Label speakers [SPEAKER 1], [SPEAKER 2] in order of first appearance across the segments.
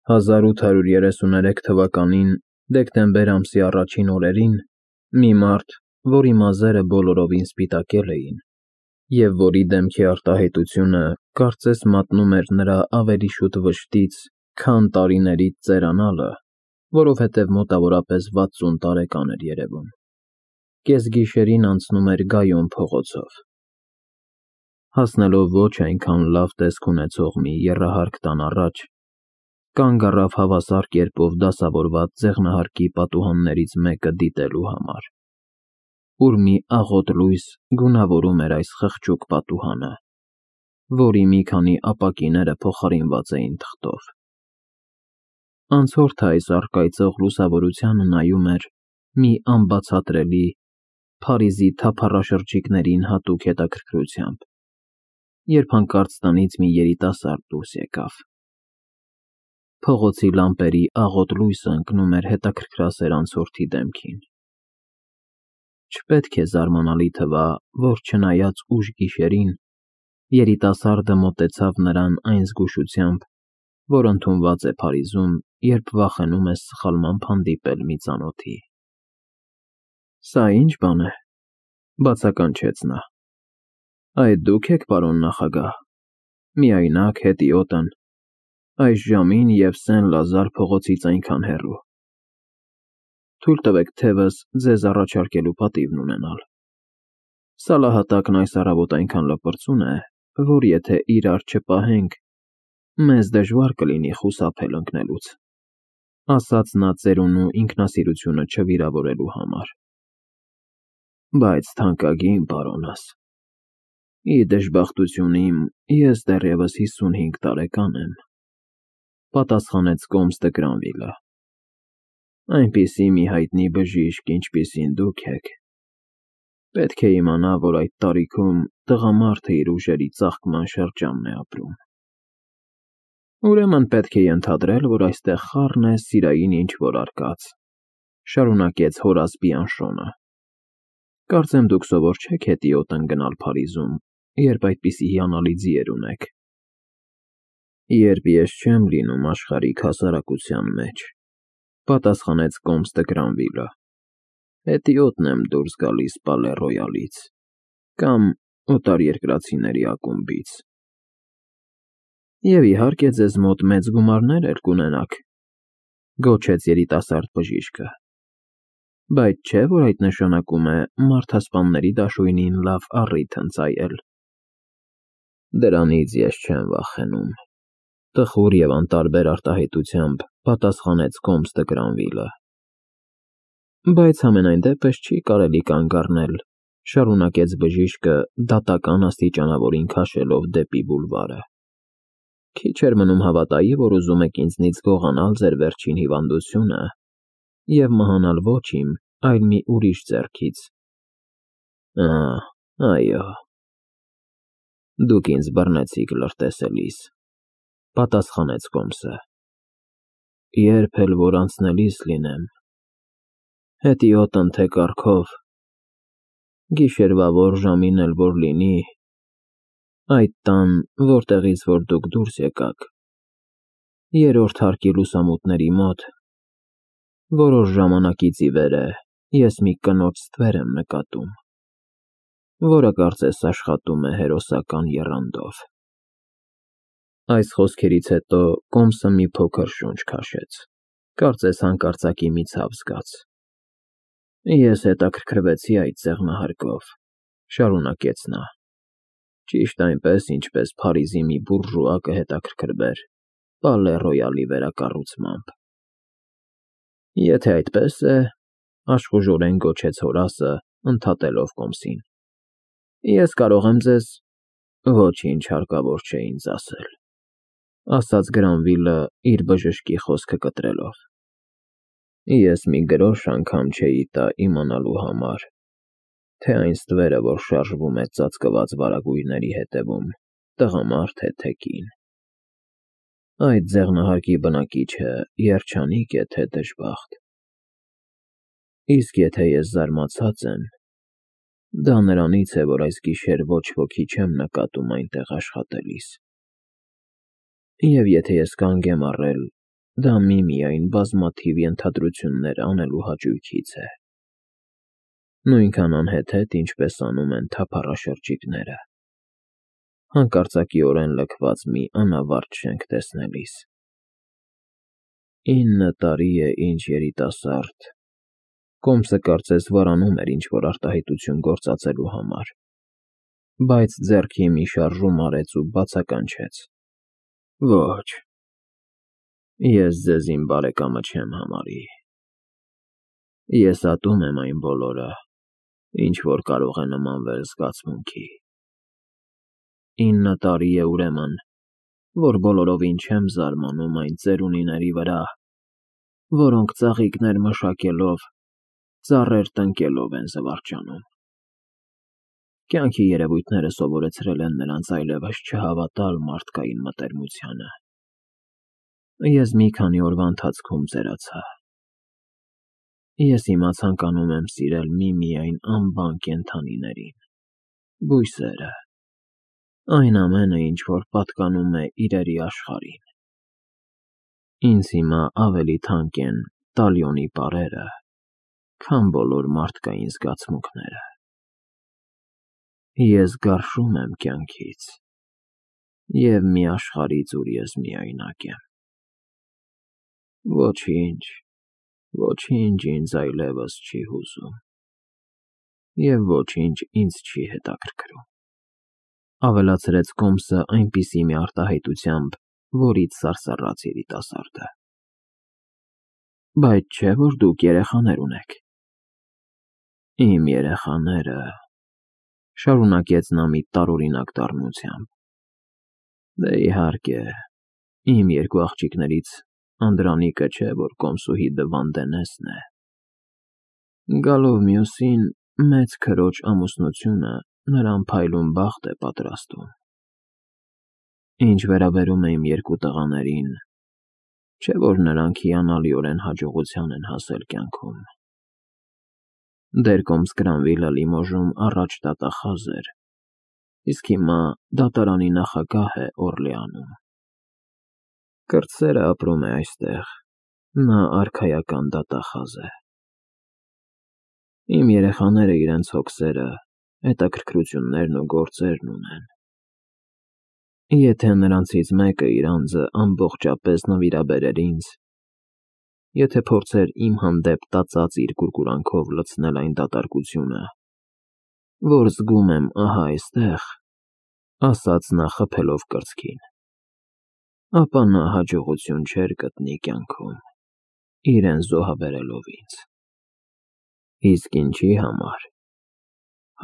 [SPEAKER 1] 1833 թվականին դեկտեմբեր ամսի առաջին օրերին մի մարդ, որի մազերը բոլորովին սպիտակել էին, և որի դեմքի արտահայտությունը կարծես մատնում էր նրա ավելի շուտ վշտից, քան տարիներից ծերանալը, որովհետև մոտավորապես 60 տարեկան էր երևում, կեսգիշերին անցնում էր Գայոն փողոցով։ Հասնելով ոչ այնքան լավ տեսք ունեցող մի եռահարկ տան առաջ, կանգ առավ հավասար կերպով դասավորված ձեղնահարկի պատուհաններից մեկը դիտելու համար, ուր մի աղոտ լույս գունավորում էր այս խղճուկ պատուհանը, որի մի քանի ապակիները փոխարինված էին թղթով։ Անցորդը այս առկայծող լուսավորությանը նայում էր մի անբացատրելի, Փարիզի թափառաշրջիկներին հատուկ հետաքրքրությամբ, երբ հանկարծ տնից մի երիտասարդ դուրս եկավ։ Փողոցի լամպերի աղոտ լույսը ընկնում էր հետաքրքրասեր անցորդի դեմքին։ Չպետք է զարմանալի թվա, որ չնայած ուշ գիշերին, երիտասարդը մոտեցավ նրան այն զգուշությամբ, որ ընդունված է Փարիզում, երբ վախենում ես սխալմամբ հանդիպել մի ծանոթի։ «Սա ի՞նչ բան է,» բացականչեց նա։ «Այդ դուք եք, պարոն նախագահ, միայնակ, հետիոտն, այս ժամին և Սեն֊Լազար փողոցից այնքան հեռու։ Թույլ տվեք թևս ձեզ առաջարկելու պատիվն ունենալ։ Սալահատակն այս առավոտ այնքան լպրծուն է, որ եթե իրար չպահենք, մեզ դժվար կլինի խուսափել ընկնելուց», ասաց նա ծերունու ինքնասիրությունը չվիրավորելու համար։ «Բայց թանկագին պարոնս, ի դժբախտություն իմ, ես դեռևս 55 տարեկան եմ,» պատասխանեց կոմստը Գրանվիլը։ «Այնպիսի մի հայտնի բժիշկ, ինչպիսին դուք եք, պետք է իմանա, որ այդ տարիքում տղամարդը իր ուժերի ծաղկման շրջանն է ապրում։ Ուրեմն պետք է ենթադրել, որ այստեղ խառն է սիրային ինչ-որ արկած,» շարունակեց Հորաս Բիանշոնը։ «Կարծեմ դուք սովոր չեք հետիոտն գնալ Փարիզում, երբ այդպիսի հիանալի ձիեր ունեք»։ «Երբ ես չեմ լինում աշխարհիկ հասարակության մեջ,» պատասխանեց կոմստը Գրանվիլը, «հետիոտն եմ դուրս գալիս Պալե Ռոյալից կամ օտարերկրացիների ակումբից»։ «Եվ իհարկե ձեզ մոտ մեծ գումարներ էլ կունենաք,» գոչեց երիտասարդ բժիշկը, «բայց չէ՞ որ այդ նշանակում է մարդասպանների դաշույնին լավ առիթ ընծայել»։ «Դրանից ես չեմ վախենում,» տխուր և անտարբեր արտահայտությամբ պատասխանեց կոմստը Գրանվիլը։ «Բայց համենայն դեպս չի կարելի կանգ առնել,» շարունակեց բժիշկը դատական աստիճանավորին քաշելով դեպի բուլվարը։ «Քիչ էր մնում հավատայի, որ ուզում եք ինձնից գողանալ ձեր վերջին հիվանդությունը և մահանալ ոչ իմ, այլ մի ուրիշ ձեռքից։ Այո, դուք ինձ բռնեցիք լրտեսելիս,» պատասխանեց կոմսը։ «Երբ էլ որ անցնելիս լինեմ, հետիոտն թե կառքով, գիշերվա որ ժամին էլ որ լինի, այդ տան, որտեղից որ դուք դուրս եկաք, երրորդ հարկի լուսամուտների մոտ, որոշ ժամանակից ի վեր է ես մի կնոջ ստվեր եմ նկատում, որը կարծես աշխատում է հերոսական եռանդով»։ Այս խոսքերից հետո կոմսը մի փոքր շունչ քաշեց, կարծես հանկարծակի մի ցավ զգաց։ «Ես հետաքրքրվեցի այդ ձեղնահարկով,» շարունակեց նա, «ճիշտ այնպես, ինչպես Փարիզի մի բուրժուա կհետաքրքրվեր Պալե Ռոյալի վերակառուցմամբ»։ «Եթե այդպես է,» աշխուժորեն գոչեց Հորասը, ընդհատելով կոմսին, «ես կարող եմ ձեզ…» «Ոչինչ հարկավոր չէ ինձ ասել,» ասաց Գրանվիլը իր բժշկի խոսքը կտրելով։ «Ես մի գրոշ անգամ չէի տա իմանալու համար, թե այն ստվերը, որ շարժվում է ծածկված վարագույրների հետևում, տղամարդ է թե կին։ Այդ ձեղնահարկի բնակիչը երջանիկ է թե դժբախտ։ Իսկ եթե ես զարմացած եմ, դա նրանից է, որ այս գիշեր ոչ ոքի չեմ նկատում այնտեղ աշխատելիս։ Եվ եթե ես կանգ եմ առել, դա միմիայն բազմաթիվ ենթադրություններ անելու հաճույքից է։ Նույնքան անհեթեթ, ինչպես անում են թափառաշրջիկները, հանկարծակիորեն լքված մի անավարտ շենք տեսնելիս։ 9 տարի է, ինչ երիտասարդ, Կոմսը կարծես վարանում էր ինչ-որ արտահայտություն գործածելու համար, բայց ձեռքի մի շարժում արեց ու բացականչեց. Ոչ, ես ձեզ իմ բարեկամը չեմ համարի։ Ես ատում եմ այն բոլորը, ինչ որ կարող է նմանվել զգացմունքի։ 9 տարի է ուրեմն, որ բոլորովին չեմ զարմանում այն ծերունիների վրա, որոնք ծաղիկներ մշակելով, ծառեր տնկելով են զվարճանում։ Կյանքի երևույթները սովորեցրել են նրանց այլևս չհավատալ մարդկային մտերմությանը։ Ես մի քանի օրվա ընթացքում ծերացա։ Ես հիմա ցանկանում եմ սիրել միմիայն անբան կենդանիներին, բույսերը, այն ամենը, ինչ որ պատկանում է իրերի աշխարհին։ Ինձ հիմա ավելի թանկ են տալիոնի պարերը, քան բոլոր մարդկային զգացմունքները։ Ես գարշում եմ կյանքից, և մի աշխարհից, ուր ես միայնակ եմ։ Ոչինչ ինձ այլևս չի հուզում, և ոչինչ ինձ չի հետաքրքրում, ավելացրեց Կոմսը այնպիսի մի արտահայտությամբ, որից սարսռաց երիտասարդը։ Բայց չէ՞ որ դուք երեխաներ ունեք։ Իմ երեխաները, շարունակեց նա մի տարօրինակ դառնությամբ։ Դե իհարկե, իմ երկու աղջիկներից Անդրանիկը չէ, որ կոմսուհի Դվանդենեսն է։ Գալով մյուսին, մեծ քրոջ ամուսնությունը նրան փայլուն բախտ է պատրաստում։ Ինչ վերաբերում է իմ երկու տղաներին, չէ՞ որ նրանք հիանալիորեն հաջողության են հասել կյանքում։ Դեր կոմս Կրանվիլը Լիմոժում առաջ դատախազ էր, իսկ հիմա դատարանի նախագահ է Օրլեանում։ Կրտսերը ապրում է այստեղ, նա արքայական դատախազ է։ Իմ երեխաները իրենց հոգսերը, հետաքրքրություններն ու գործերն ունեն։ Եթե նրանցից մեկը իր անձը ամբողջապես նվիրաբերեր ինձ, եթե փորձեր իմ հանդեպ տածած իր կուրկուրանքով լցնել այն դատարկությունը, որ զգում եմ ահա այստեղ, ասաց նա խփելով կրծքին, ապա նա հաջողություն չէր գտնի կյանքում, իրեն զոհաբերելով ինձ։ Իսկ ինչի համար,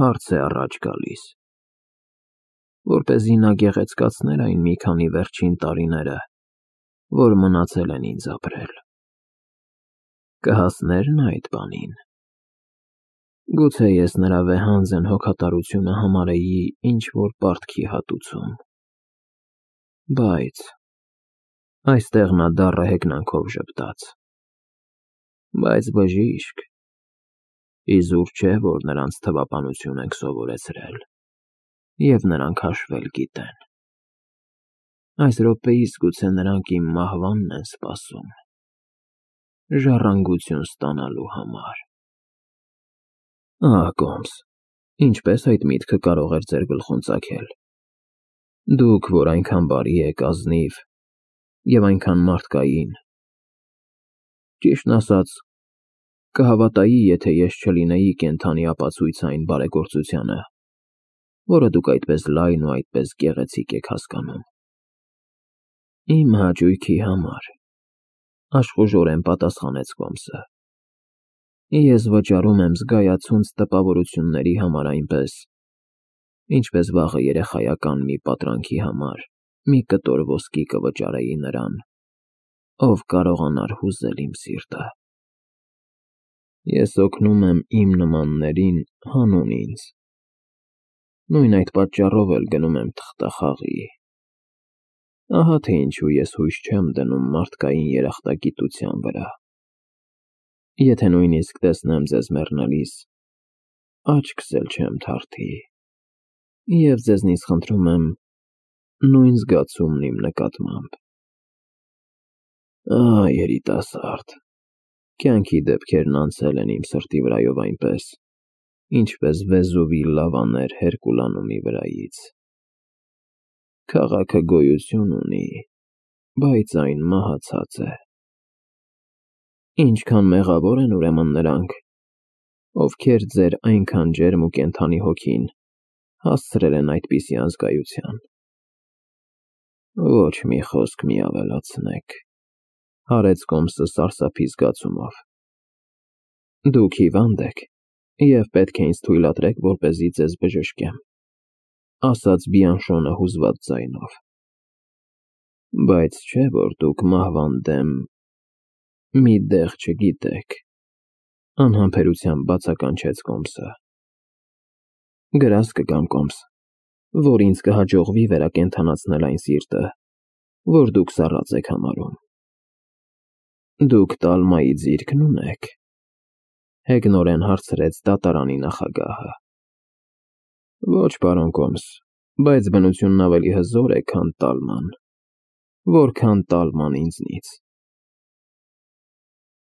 [SPEAKER 1] հարց է առաջ գալիս, որպեսզի նա գեղեցկացներ այն մի քանի վերջին տարիները, որ մնացել են ինձ ապրել։ Կհասնե՞ր նա այդ բանին։ Գուցե ես նրա վեհանձն հոգատարությունը համարեի ինչ-որ պարտքի հատուցում։ Բայց այստեղ նա դառը հեգնանքով ժպտաց։ Բայց բժիշկ, իզուր չէ, որ նրանց թվապանություն ենք սովորեցրել, և նրանք հաշվել գիտեն։ Այս րոպեիս գուցե նրանք իմ մահվանն են սպասում, ժառանգություն ստանալու համար։ Ահ, Կոմս, ինչպես այդ միտքը կարող էր ձեր գլխում ծագել։ Դուք, որ այնքան բարի եք, ազնիվ և այնքան մարդկային։ Ճիշտն ասած, կհավատայի, եթե ես չլինեի կենդանի ապացույց այն բարեգործությանը, որը դուք այդպես լայն ու այդպես գեղեցիկ եք հասկանում։ Իմ հաճույքի համար, աշխուժորեն պատասխանեց Կոմսը։ Ես վճարում եմ զգայացունց տպավորությունների համար այնպես, ինչպես վաղը երեխայական մի պատրանքի համար մի կտոր ոսկի կվճարեի նրան, ով կարողանար հուզել իմ սիրտը։ Ես օգնում եմ իմ նմաններին հանուն ինձ, նույն այդ պատճառով էլ գնում եմ թղթախաղի։ Ահա թե ինչու ես հույս չեմ դնում մարդկային երախտագիտության վրա։ Եթե նույնիսկ տեսնեմ ձեզ մեռնելիս, աչքս էլ չեմ թարթի, և ձեզնից խնդրում եմ նույն զգացումն իմ նկատմամբ։ Երիտասարդ, կյանքի դեպքերն անցել են իմ սրտի վրայով այնպես, ինչպես Վեզուվի լավաներ Հերկուլանումի վրայից։ Քաղաքը գոյություն ունի, բայց այն մահացած է։ Ինչքան մեղավոր են ուրեմն նրանք, ովքեր ձեր այնքան ջերմ ու կենդանի հոգին հասցրել են այդպիսի անզգայության։ Ոչ մի խոսք մի ավելացնեք, հարեց Կոմսը սարսափի զգացումով։ Դուք հիվանդ եք և պետք է ինձ թույլատրեք, որպեսզի ձեզ բժշկեմ, ասաց Բիանշոնը հուզված ձայնով։ Բայց չէ՞ որ դուք մահվան դեմ մի դեղ չգիտեք, անհամբերությամբ բացականչեց Կոմսը։ Գրազ կգամ, Կոմս, որ ինձ կհաջողվի վերակենդանացնել այն սիրտը, որ դուք սառած եք համարում։ Դուք Տալմայի ձիրքն ունե՞ք, հեգնորեն հարցրեց դատարանի նախագահը։ Ոչ, պարոն Կոմս, բայց բնությունն ավելի հզոր է, քան Տալման, որքան Տալման ինձնից։